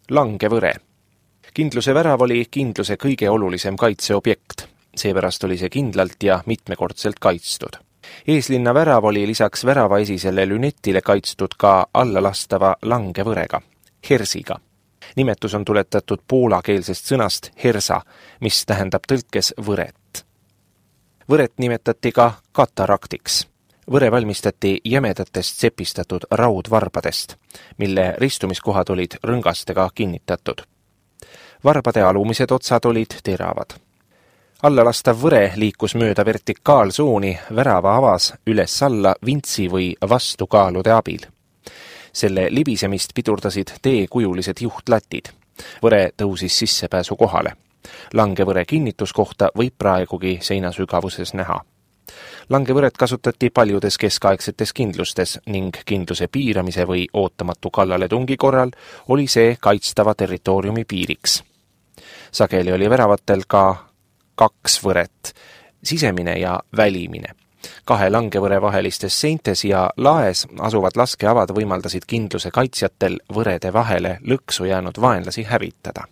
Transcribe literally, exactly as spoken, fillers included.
Langevõre. Kindluse värav oli kindluse kõige olulisem kaitseobjekt, seepärast oli see kindlalt ja mitmekordselt kaitstud. Eeslinna värav oli lisaks väravaesisele lünetile kaitstud ka allalastava langevõrega, hersiga. Nimetus on tuletatud poolakeelsest sõnast hersa, mis tähendab tõlkes võret. Võret nimetati ka kataraktiks. Võre valmistati jämedatest sepistatud raudvarbadest, mille ristumiskohad olid rõngastega kinnitatud. Varbade alumised otsad olid teravad. Allalastav võre liikus mööda vertikaalsuuni värava avas üles-alla vintsi või vastukaalude abil. Selle libisemist pidurdasid teekujulised juhtlatid. Võre tõusis sissepääsu kohale. Langevõre kinnituskohta võib praegugi seinasügavuses näha. Langevõret kasutati paljudes keskaegsetes kindlustes ning kindluse piiramise või ootamatu kallaletungi korral oli see kaitstava territooriumi piiriks. Sageli oli väravatel ka kaks võret, sisemine ja välimine. Kahe langevõre vahelistes seintes ja laes asuvad laskeavad võimaldasid kindluse kaitsjatel võrede vahele lõksu jäänud vaenlasi hävitada.